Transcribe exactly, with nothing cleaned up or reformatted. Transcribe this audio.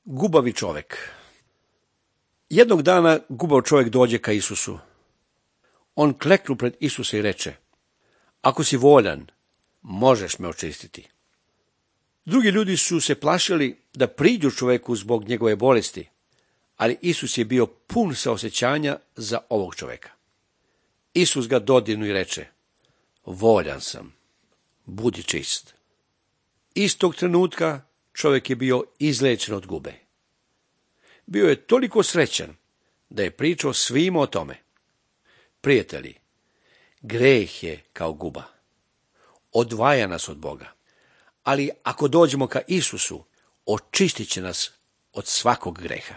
Gubavi čovek. Jednog dana gubav čovjek dođe ka Isusu. On kleknu pred Isusa i reče: ako si voljan, možeš me očistiti. Drugi ljudi su se plašili da priđu čoveku zbog njegove bolesti, ali Isus je bio pun saosećanja za ovog čoveka. Isus ga dodirnu i reče: voljan sam, budi čist. Istog trenutka čovjek je bio izlečen od gube. Bio je toliko srećan da je pričao svima o tome. Prijatelji, greh je kao guba. Odvaja nas od Boga. Ali ako dođemo ka Isusu, očistit će nas od svakog greha.